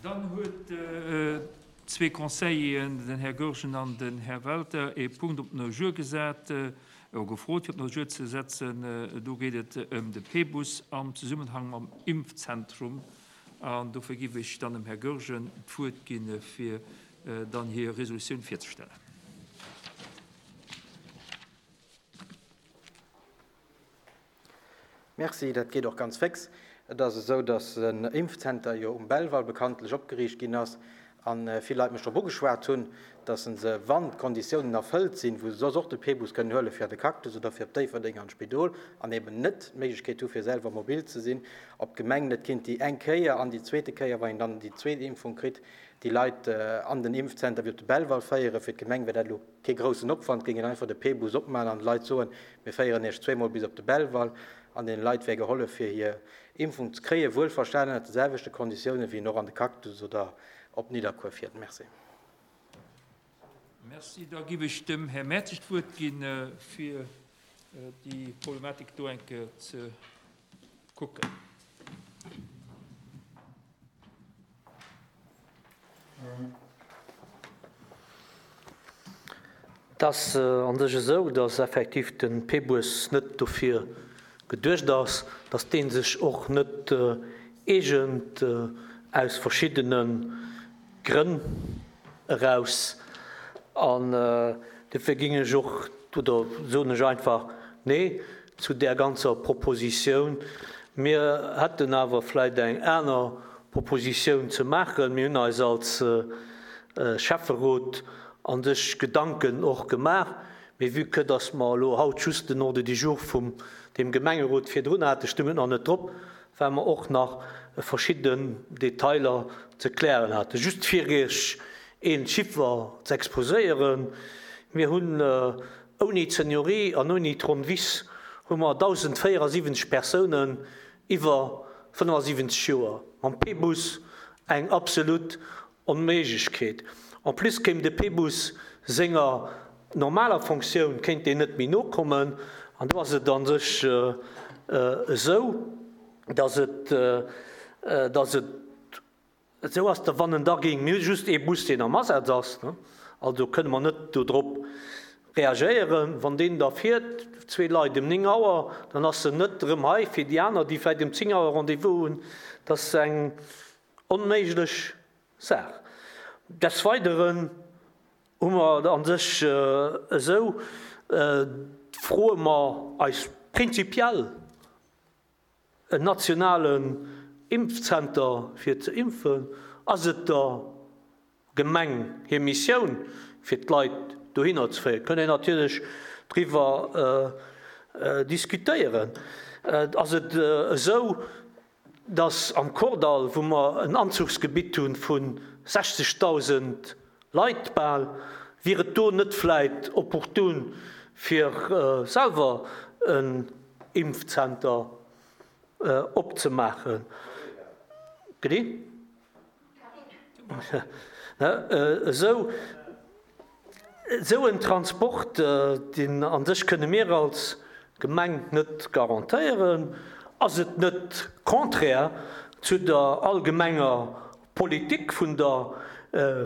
Dann huet zwee Conseilleren, den Här Goergen an den Här Welter, ee Punkt op den Ordre du jour gesat, oder gefrot, fir op den Ordre du jour ze setzen. Do geet et ëm de P-Bus am Zesummenhang mam Impfzentrum. An dofir géif ech dann dem Här Goergen d'Wuert ginn, fir dann hir Resolutioun virzestellen. Merci, dat geet och ganz féx. Et ass esou, datt en Impfzenter jo um Belval bekanntlech opgeriicht ginn ass a vill Leit mech drop ugeschwat hunn, datt se se, wann d'Konditiounen erfëllt sinn, wou se soss och de P-Bus kënnen huele fir an de Cactus oder fir op Déifferdeng an d'Spidol an eben net d'Méiglechkeet hu fir selwer mobil ze sinn, ob d'Gemeng net kinnt déi eng Kéier an déi zweete Kéier, wann een dann déi zweet Impfung kritt, déi Leit an den Impfzenter wéi op de Belval féieren. Fir d'Gemeng wär dat elo Kee groussen Opwand, géingen einfach de P-Bus opmaen an de Leit soen, mir féieren iech zweemol bis op de Belval an deene Leit wär gehollef fir hir Impfung ze kréien, wuelverstanen ënnert de selwechte Konditiounen wéi een och an de Cactus oder op Nidderkuer fiert. Merci. Merci. Da giff ech dem Här Mertzig d'Wuert ginn, fir déi Problematik do eng Kéier ze kucken. Et ass a sech esou, datt effektiv de P-Bus net dofir geduecht ass, datt dee sech och net eegent aus verschiddene Grënn eraus. An dofir géing ech och, oder soen ech einfach Nee zu där ganzer Propositioun. Mir hätten awer vläicht eng aner Propositioun ze maachen. Mir hunn eis als Schäfferot a sech Gedanken och gemaach, mee vue que dass mer elo haut just den Ordre du jour vum deem Gemengerot virdrun haten, stoung et nach net drop, well mer och nach verschidden Detailer ze klären haten. Just fir Iech een Chiffer ze exposéieren, Mir hunn ouni d'Seniorie an ouni d'Ronn Wiss hu mer 1.074 Persounen iwwer 75 Joer. Mam P-Bus eng absolut Onméiglechkeet. En plus kéim de P-Bus senger normaler Fonctioun kéint deen net méi nokommen. An do ass et a sech esou, datt et, datt et esou ass, datt wann en da géing, mir hu just ee Bus, deen am Asaz ass, also kënne mer net dodrop reagéieren, wann deen da fiert, zwee Leit ëm 9 Auer, dann ass en net erëm hei fir déi aner, déi vläicht ëm 10 Auer Rendez-vous hunn. Dat ass eng Onméiglech Saach. Des Weideren hu mer a sech esou, froe mer eis prinzipiell, en nationalen Impfzenter fir ze impfen. Ass et der Gemeng hir Missioun, fir d'Leit dohinner ze féieren? Kënnt een natierlech driwwer diskutéieren. Ass et esou, dass am Kordall, wou mer en Anzuchsgebitt hu vu 60.000 Leit bal, wier et do net vläit opportun, fir selwer en Impfzenter opzemaachen? Esou en Transport, deen a sech kënne mir als Gemeng net garantéieren. Ass et net contraire zu der allgemenger Politik vun der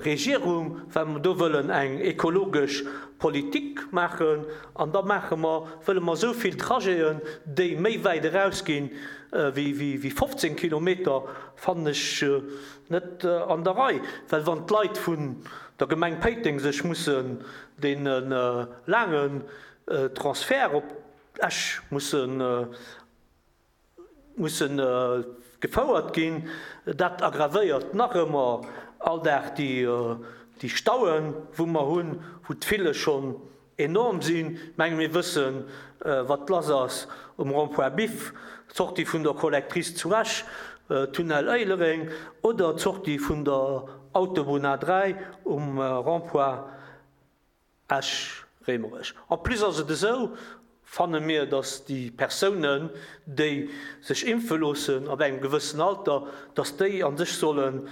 Regierung, well mer do wëllen eng ekologesch Politik maachen an da maache mer, wëlle mer esou vill Trajeten, déi méi wäit erausginn wéi 15 Kilometer, fannen ech net an der Rei, well wann d'Leit vun der Gemeng Péiteng sech mussen dee laangen Transfert op Esch mussen musse gefouert ginn, dat aggravéiert nach ëmmer all Dag déi Stauen, wou mer hunn, wou d'File schonn enorm sinn. Ech menge mir wëssen, wat lass ass um Rond-point Biff, d'Sortie vun der Collectrice zu Esch, Tunnel Éilereng, oder d'Sortie vun der Autobunn A3 um Rond-point Esch-Raemerech. En plus ass et esou, fanne mir, datt déi Persounen, déi sech impfe loossen ab engem gewëssen Alter, datt déi a sech sollen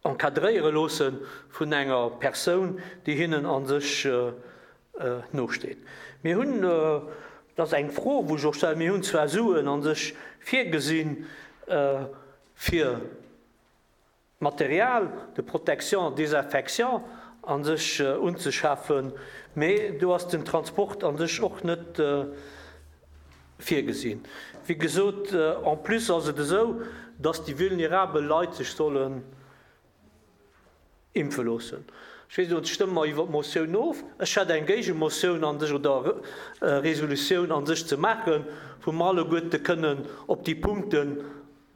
encadréiere loosse vun enger Persoun, déi hinnen a sech nosteet. Mir hunn, dat ass eng Fro, wou ech och stellen, mir hunn zwar Suen a sech virgesinn. fir Material de protection, désinfection a sech unzeschafen, mee do ass den Transport a sech och net virgesinn. Wéi gesot, en plus ass et esou, dass déi vulnerabel Leit sech sollen impfe loossen. Ech weess net, stëmme mer iwwer d'Motioun of? Ech hätt eng Géigemotioun a sech oder Resolutioun a sech ze maachen, wou mer alleguerte kënnen op déi Punkten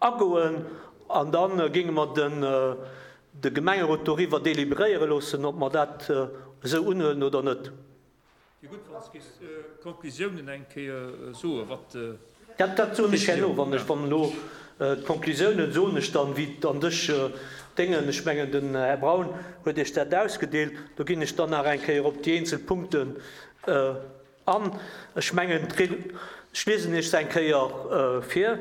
agoen an da géinge mer de Gemengerot doriwwer deliberéiere loossen, ob mer dat esou unhuelen oder net. Wier gutt, wann s géifs d'Konklusiounen eng Kéier soen, wat. Dat soen ech herno, wann ech wann elo d'Konklusiounen soen ech dann, wéi et an dech déngen. Ech mengen, den Här Braun huet Iech dat ausgedeelt. Do ginn ech dann nach eng Kéier op déi eenzel Punkten an. Ech mengen, ech liesen Iech se eng Kéier vir.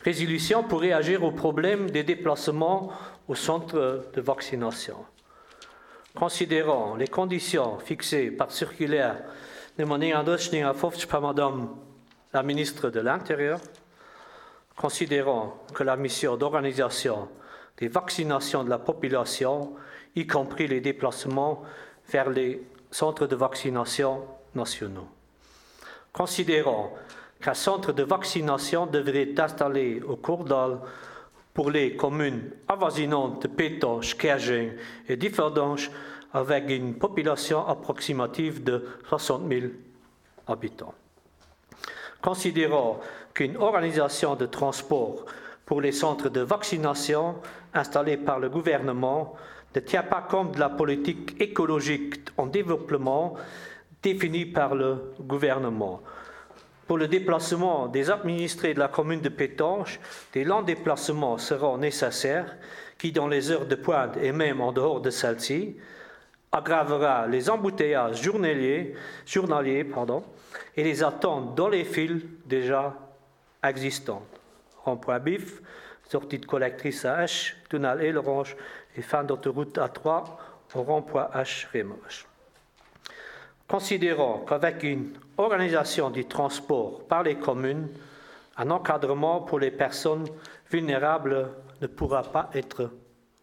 Résolution pour réagir au problème des déplacements au centre de vaccination. Considérant les conditions fixées par circulaire numéro 39 par Madame la ministre de l'Intérieur, considérant que la mission d'organisation des vaccinations de la population, y compris les déplacements vers les centres de vaccination nationaux. Considérant qu'un centre de vaccination devrait être installé au Courdal pour les communes avoisinantes de Pétange, Kergeng et Differdange avec une population approximative de 60 000 habitants. Considérant qu'une organisation de transport pour les centres de vaccination installés par le gouvernement ne tient pas compte de la politique écologique en développement définie par le gouvernement. Pour le déplacement des administrés de la commune de Pétange, des longs déplacements seront nécessaires qui, dans les heures de pointe et même en dehors de celles-ci, aggravera les embouteillages journaliers, journaliers pardon, et les attentes dans les files déjà existantes. Rond-point Bif, sortie de collectrice à H, tunnel Élerange et fin d'autoroute A3 au rond-point H Rémerge. Considérant qu'avec une organisation du transport par les communes, un encadrement pour les personnes vulnérables ne pourra pas être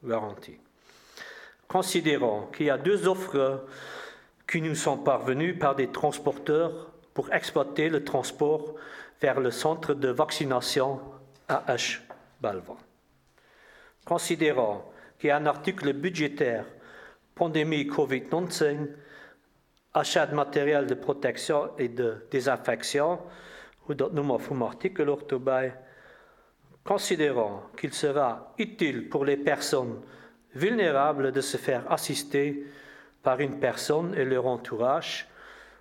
garanti. Considérant qu'il y a deux offres qui nous sont parvenues par des transporteurs pour exploiter le transport vers le centre de vaccination AH Balvan. Considérant qu'il y a un article budgétaire pandémie Covid-19, achat de matériel de protection et de désinfection, hutt Der d'Nummer vum Artikel och dobäi, considérant qu'il sera utile pour les personnes vulnérables de se faire assister par une personne et leur entourage,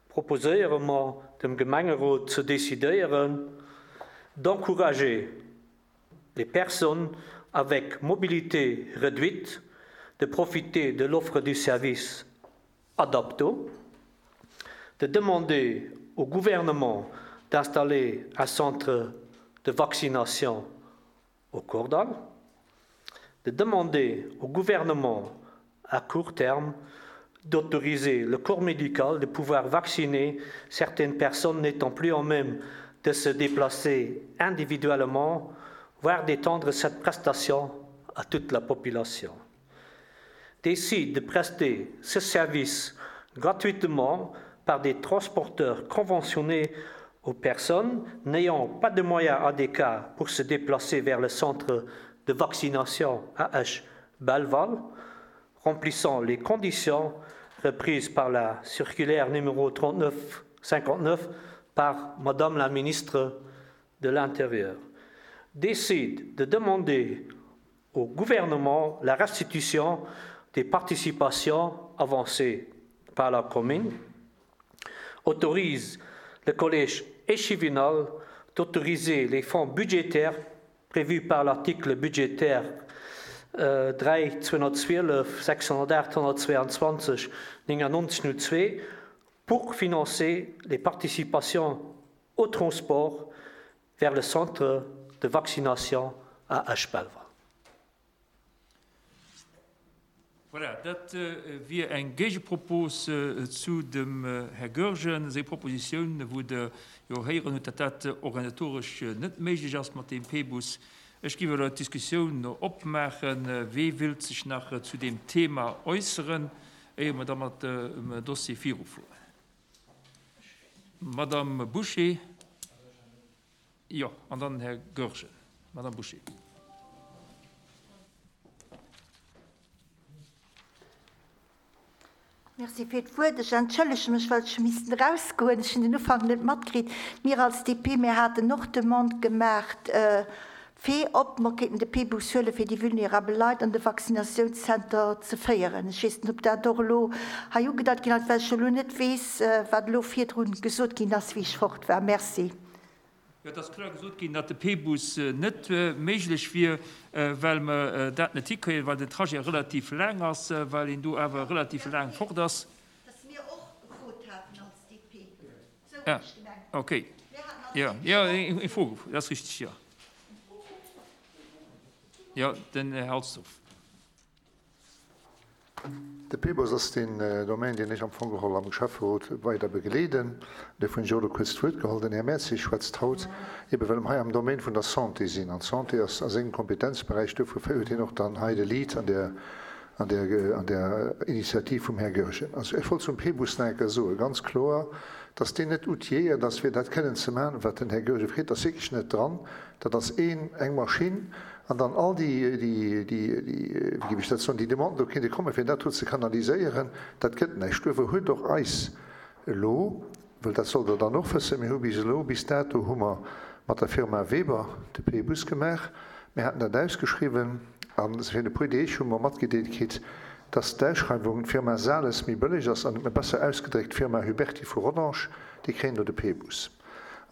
proposéiere mer dem Gemengerot ze decidéieren, d'encourager les personnes avec mobilité réduite de profiter de l'offre du service Adapto, de demander au gouvernement d'installer un centre de vaccination au Cordal, de demander au gouvernement à court terme d'autoriser le corps médical de pouvoir vacciner certaines personnes n'étant plus en même de se déplacer individuellement, voire d'étendre cette prestation à toute la population. Décide de prester ce service gratuitement par des transporteurs conventionnés aux personnes n'ayant pas de moyens adéquats pour se déplacer vers le centre de vaccination AH Belval, remplissant les conditions reprises par la circulaire numéro 3959 par Madame la ministre de l'Intérieur, décide de demander au gouvernement la restitution des participations avancées par la commune, autorise le collège échevinal d'autoriser les fonds budgétaires prévus par l'article budgétaire 3 212 608 122 99 02 pour financer les participations au transport vers le centre de vaccination à Esch-Belval. Voilà, dat wier eng Géigepropos zu dem Här Goergen seng Propositioun, wou Der jo héieren hutt, datt dat organisatoresch net méiglech ass mat deem P-Bus. Ech géif elo d'Diskussioun opmaachen. Wee wëllt sech nach zu deem Thema äusseren, éier mer da mat dem Dossier virufueren? Madamm Bouché, jo, an dann den Här Goergen. Madamm Bouché. Merci fir d'Wuert. Ech entschëllege mech, well ech hu missten erausgoen. Ech hunn den Ufank net matkritt. Mir als DP, mir haten och d'Demande gemaach, fir ob mer kéinten de P-Bus huelen, fir déi vulnerabel Leit an de Vaccinatiounszenter ze féieren. Ech weess net, ob dat och elo hei ugedeit ginn ass, well ech elo net weess, wat elo virdrun gesot ginn ass, wéi ech fort war. Merci. Jo, et ass kloer gesot ginn, datt de P-Bus net méiglech wier, well mer dat net hikréien, well den Trajet relativ laang ass, well een do awer relativ laang fort ass. Datt mir och gefrot haten als DP. Esou hunn ech gemengt. Ah, okay. Jo, jo, eng Fro, dat ass richtig, jo. Jo, den Här Halsdorf. De PBOS ass deen Domaine, deen ech am Fong geholl am Schäfferot weider begleeden. Duerfir hunn ech och elo kuerz d'Wuert geholl. Den Här Mertzig schwätzt haut, ebe well mer hei am Domaine vun der Santé sinn. An d'Santé ass a sengem Kompetenzberäich. Duerfir féiert hien och dann hei de Lead an där, an där, an där Initiativ vum Här Goergen. Also ech wollt zum PBUS nach eng Kéier soen, ganz kloer, dass deen net outilléiert ass, fir dat kënnen ze maachen, wat den Här Goergen freet. Dat ass wierklech net dran. Dat ass een, eng Maschinn. An dann all déi, déi, déi, wéi géif ech dat soen, déi Demanden do kéinte kommen, fir dat do ze kanaliséieren, dat gëtt näischt. Duerfir huet och eis elo, well dat sollt Der dann och wëssen, mir hu bis elo, bis dato hu mer mat der Firma Weber de P-Bus gemaach, mir haten dat ausgeschriwwen a virun e puer Deeg hu mer matgedeelt kritt, dass d'Ausschreiwung d'Firma Sales méi bëlleg ass an, besser ausgedréckt, d'Firma Huberty vu Rodange, déi kréien do de P-Bus.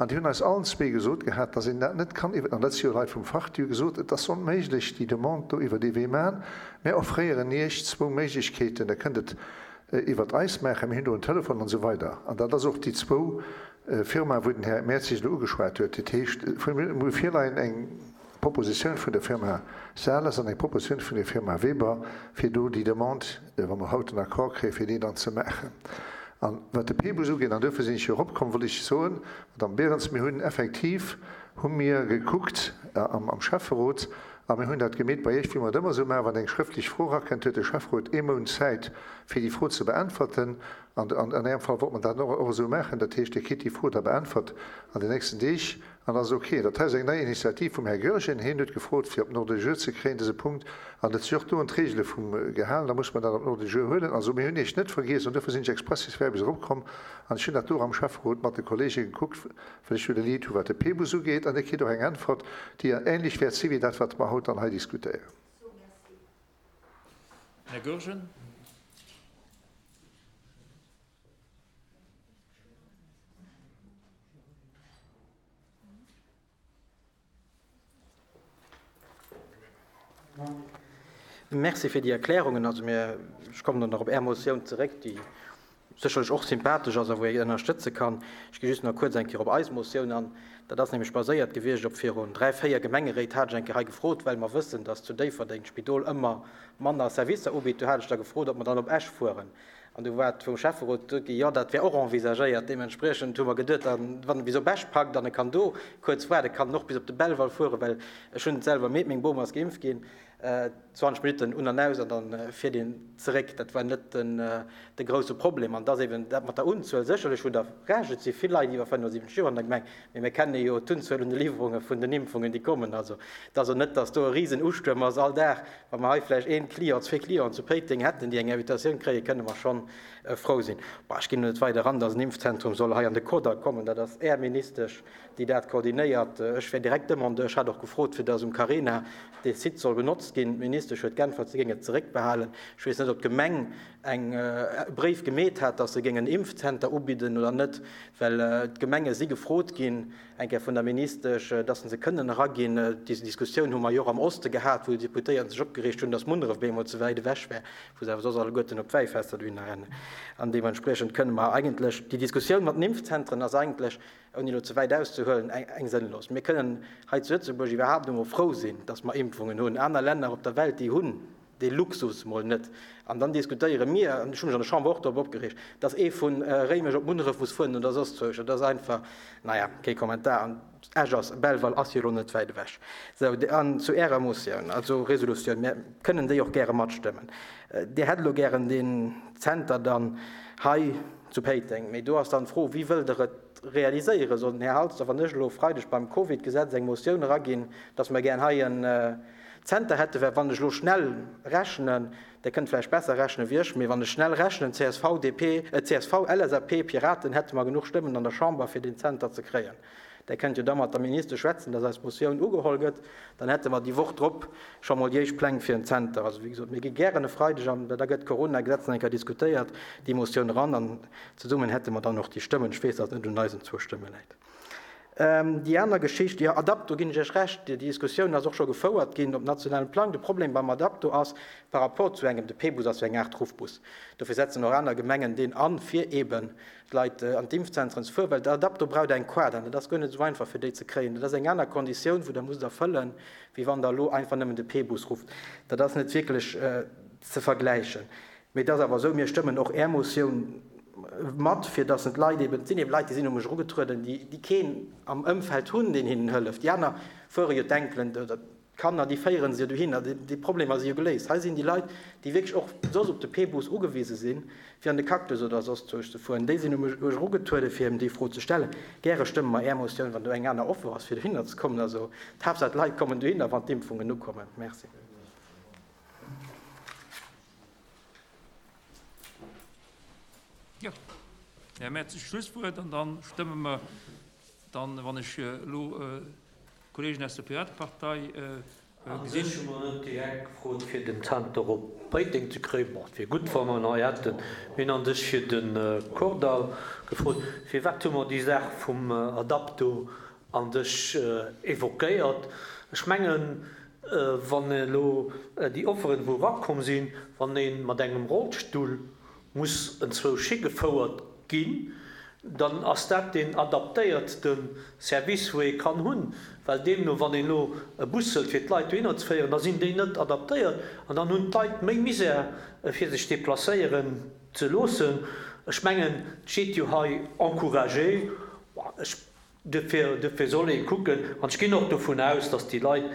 An déi hunn eis allen zwee gesot gehat, dass een dat net kann iwwer, an dat si jo Leit vum Fach, déi hu gesot, et ass onméiglech déi Demande do iwwer dee Wee maachen, mär offréieren Iech zwou Méiglechkeeten, Der kënnt et iwwert eis maachen, mir hunn do en Telefon an esou weider. An dat ass och déi zwou Firmaen, wou den Här Mertzig elo ugeschwat huet. Dat heescht, mir hu virleien eng Propositioun vun der Firma Sales an eng Propositioun vun der Firma Weber, fir do déi Demande, wa mer haut den Accord kréien, fir déi dann ze maachen. An wat de P-Bus ugeet, an duerfir sinn ech jo eropkomm, wollt ech soen, Madame Berens, mir hunn effektiv, hu mir gekuckt am Schäfferot a mir hunn dat gemeet bei Iech, wéi mer et ëmmer esou maachen, wann eng schrëftlech Fro erakënnt, huet de Schäfferot ee Mount Zäit, fir déi Fro ze beäntwerten. An an Ärem Fall wollt mer dat och esou maachen. Dat heescht, Dir kritt déi Fro da beäntwert an den nächsten Deeg. An ass ok. Dat hei ass eng nei Initiativ vum Här Goergen. Hien huet gefrot, fir op den Ordre du jour ze kréien, dëse Punkt. An et si och do un d'Regele vum gehalen. Da muss mer dat op den Ordre du jour huelen. Also, mir hunn Iech net vergiess an duerfir sinn ech expressis verbis eropkomm. An ech hunn dat do och am Schäfferot mat de Kollege gekuckt, well ech jo de Lead hu wat de P-Bus ugeet. An Dir kritt och eng Äntwert, déi ähnlech wäert si wéi dat, wat mer haut dann hei diskutéieren. Här Goergen. Merci fir déi Erklärungen. Also mir, ech kommen dann nach op Är Motioun zeréck, déi sécherlech och sympathesch ass a wou ee ënnerstëtze kann. Ech gi just nach kuerz eng Kéier op eis Motioun an. Dat ass nämlech baséiert gewiescht op virun dräi, véier Gemengeréit hat ech eng Kéier hei gefrot, well mer wëssen, dass zu Déifferdeng d'Spidol ëmmer manner Servicer ubitt. Do hat ech da gefrot, ob mer dann op Esch fueren. An du war et vum Schäfferot gesot ginn, jo, dat wär och envisagéiert. Deementspriechend hu mer geduet, dann, wann e bis op Esch packt an e kann do kuerz waarden, kann en och bis op de Belval fueren, well ech hunn et selwer erlebt, meng Bom ass geimpft ginn, 20 Minutten un an aus an da fiert een zeréck. Dat war net den, de grousse Problem. An et ass eben dat mat der Unzuel, sécherlech hutt Der Recht, et si vill Leit iwwer 75 Joer an der Gemeng, mee mir kenne jo d'Unzuel un de Liwwerunge vun den Impfungen, déi kommen. Also et ass och net, datt do e Risenustuerm ass all Dag. Wa mer hei vläicht een Client, zwee Clienten zu Péiteng hätten, déi eng Invitatioun kréien, kënne mer schonn frou sinn. Bon, ech ginn net weider eran, dass en Impfzentrum soll hei an de Kordall kommen. Dat ass Är Ministesch, déi dat koordinéiert. Ech wär direkt Demandeur. Ech hat och gefrot, fir dass um Carena dee Site soll benotzt ginn. D'Ministesch huet geäntwert, si géing et zeréckbehalen. Ech weess net, ob d'Gemeng eng e Bréif gemeet hat, dass se géing en Impfzenter ubidden oder net, well d'Gemenge si gefrot ginn, eng Kéier vun der Ministesch, dass se kënnen eraginn. Déi Diskussioun hu mer jo och am Oste gehat, wou d'Deputéierten sech opgereegt hunn, dass Munneref bemol ze wäit ewech wär, wou se awer soss alleguerten op d'Wäifester dohinner rennen. An deementspriechend kënne mer eigentlech, déi Diskussioun mat den Impfzentren ass eigentlech, ouni elo ze wäit auszehuelen, eng sënnlos. Mir kënnen hei zu Lëtzebuerg iwwerhaapt emol frou sinn, dass mer Impfungen hunn. Aner Länner op der Welt, déi hunn. Dee Luxus mol net. An dann diskutéiere mir, an ech hu mech an der Chamber och drop opgereegt, dass ee vu Réimech op Munneref muss fueren oder soss zwousch. Dat ass einfach, naja, kee Kommentar. An Esch ass, Belval ass jo elo net wäit ewech. Sou, an zu Ärer Motioun, also Resolutioun, mir kënnen déi och gäre matstëmmen. Dir hätt elo gären deen Zenter dann hei zu Péiteng. Mee do ass dann d'Fro, Wéi wëllt Der et realiséieren? Soll den Här Halsdorf an ech elo e Freideg beim Covid-Gesetz eng Motioun eraginn, dass mer gär hei en Zenter hätte, well wann ech elo schnell rechnen, Der kënnt vläicht besser rechnen wéi ech, mee wann ech schnell rechnen, csv, DP, csv, LSAP, Piraten, hätte mer genuch Stëmmen an der Chamber fir deen Zenter ze kréien. Der kënnt jo da mat der Ministesch schwätzen, dass eis Motioun ugeholl gëtt, dann hätte mer déi Woch drop scho mol déi éischt Pläng fir en Zenter. Also wéi gesot, mir gi gären e Freideg, an da gëtt d'Corona-Gesetz nach eng Kéier diskutéiert, déi Motioun eran an zesummen hätte mer dann och déi Stëmmen. Ech weess, dass et net un eisen zwou Stëmme läit. Déi aner Geschicht, jo, Adapto, ginn ech Iech Recht, déi Diskussioun ass och scho gefouert ginn op nationalem Plang. De Problem beim Adapto ass, par rapport zu engem, de P-Bus ass jo eng Aart Ruffbus, dofir setzen och aner Gemengen deen an, fir eeben d'Leit an d'Impfzentren ze fueren, well de Adapto braucht eng Quad an dat ass guer net esou einfach, fir déi ze kréien. Dat ass eng aner Konditioun, wou Der musst erfëllen, wéi wann Der elo einfach nëmmen de P-Bus rufft. Dat ass net wierklech ze vergläichen. Mee et ass awer esou, mir stëmmen och Är Motioun mat, fir datt en d'Leit eben, et sinn eben Leit, déi sinn u mech erugetrueden, déi, déi keen am Ëmfeld hunn, deen hinnen hëlleft. Déi aner fuere jo d'Enkelen oder d'Kanner, déi féiere se jo dohinner, déi Problemer si jo geléist. Hei sinn déi Leit, déi wierklech och soss op de P-Bus ugewise sinn, fir an de Cactus oder soss zwousch ze fueren, déi sinn u mech erugetrueden, fir eben déi Fro ze stellen. Gäre stëmme mer Är Motioun, wann do eng aner Offer ass, fir dohinner ze kommen. Also d'Haaptsaach, d'Leit kommen dohinner, wann d'Impfungen ukommen. Merci. Jo, Här Mertz, Schlusswuert an dann stëmme mer dann, wann ech elo d'Kollegen aus der Piratepartei gesinn. U sech hu mer net direkt gefrot, fir den Zenter op Péiteng ze kréien. Bon, et wier gutt, wa mer en hei hätten. Mir hunn a sech fir de Kordall gefrot. Firwat hu mer déi Saach vum Adapto a sech évoquéiert? Ech mengen, Wann elo déi Offeren, wou erakomm sinn, wann ee mat engem Rollstull muss enzwousch higefouert ginn, dann ass dat deen adaptéiertste Service, wou ee kann hunn. Well deemno, wann een elo e Bus hëlt, fir d'Leit dohinner ze féieren, da sinn déi net adaptéiert an dann hunn d'Leit méi Misär, fir sech deplacéieren ze loossen. Ech mengen, et steet jo hei encourager. Ech Duerfir, duerfir soll ee kucken, an ech ginn och dovun aus, dass déi Leit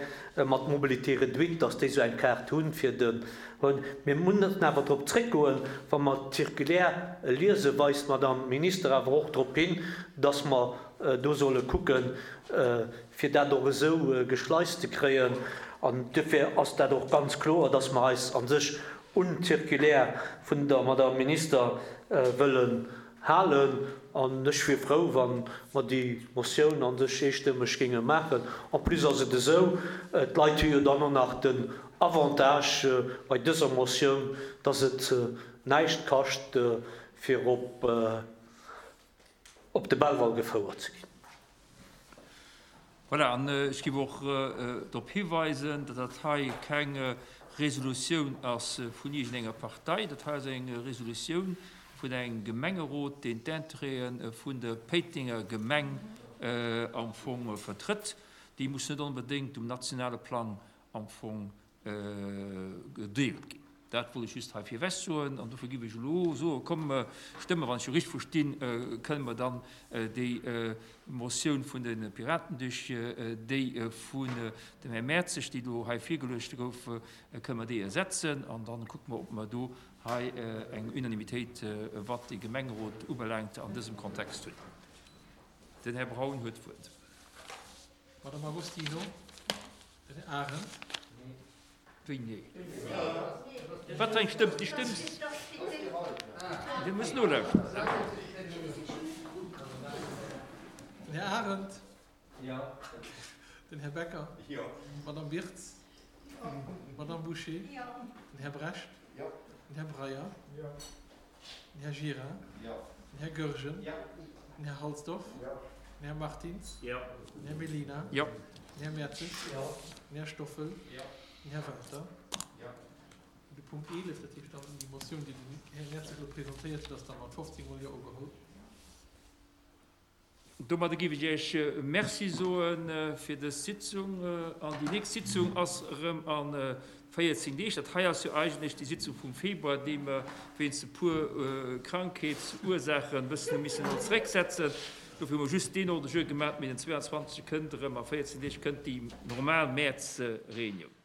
mat Mobilité réduite, dass déi esou eng Kaart hunn, fir de, hunn. Mir mussen awer drop zréckgoen, wa mer d'Circulaire liesen, weist d'Madame Minister awer och drop hin, dass mer do solle kucken, fir dat och esou geschleist ze kréien. An duerfir ass dat och ganz kloer, dass mer eis a sech un d'Circulaire vun der Madame Minister wëllen Halen, an ech wier frou, wa mer déi Motioun a sech eestëmmeg géinge maachen. En plus ass et esou, d'Leit hu jo dann och nach den Avantage bei dëser Motioun, dass et näischt kascht, fir op de Belval gefouert ze ginn. Voilà, an ech géif och drop hiweisen, datt dat hei keng Resolutioun ass vun iergendenger Partei. Dat hei ass eng Resolutioun vun engem Gemengerot, deen d'Intérêtë vun der Péitenger Gemeng am Fong vertrëtt. Déi muss net onbedéngt um nationale Plang am Fong gedeelt ginn. Dat wollt ech just hei virwech soen an dofir géif ech elo soen, komm mer stëmmen, wann ech jo richteg verstinn, kënne mer dann déi Motioun vun de Piraten duerch déi vun dem Här Mertzig, déi elo hei virgeluecht gouf, kënne mer déi ersetzen an dann kucke mer, ob mer do hei eng Unanimitéit, wat de Gemengerot ubelaangt, an dësem Kontext hunn. Den Här Braun huet d'Wuert. Madame Agostino. Den Här Arendt. Wéi nee? Wat fir eng Stëmm? Déi Stëmm, Dir musst nolauschteren. Den Här Arendt. Jo. Den Här Becker. Jo. D'Madame Birtz. Jo. D'Madame Bouché. Jo. Den Här Brecht. Jo. Den Här Breyer. Jo. Den Här Gira. Jo. Den Här Goergen. Jo. Den Här Halsdorf. Jo. Den Här Martins. Jo. Den Här Mellina. Jo. Den Här Mertzig. Jo. Den Här Stoffel. Jo. Den Här Welter. Jo. De Punkt 11, dat heescht dann déi Motioun, déi den Här Mertzig elo presentéiert huet, ass da mat 15 mol Jo ugeholl. Domadder géif ech Iech Merci soe fir dës Sitzung. An déi nächst Sitzung ass erëm a. 14 Deeg. Dat hei ass jo eigentlech déi Sitzung vum Februar, déi mer wéinst e puer Krankheetsursaachen e bëssen hu missen elo zerécksetzen. Dofir hu mer just deen Ordre du jour gemaach, mee den 22. kënnt erëm, a 14 Deeg kënnt déi normal Mäerz-Reunioun.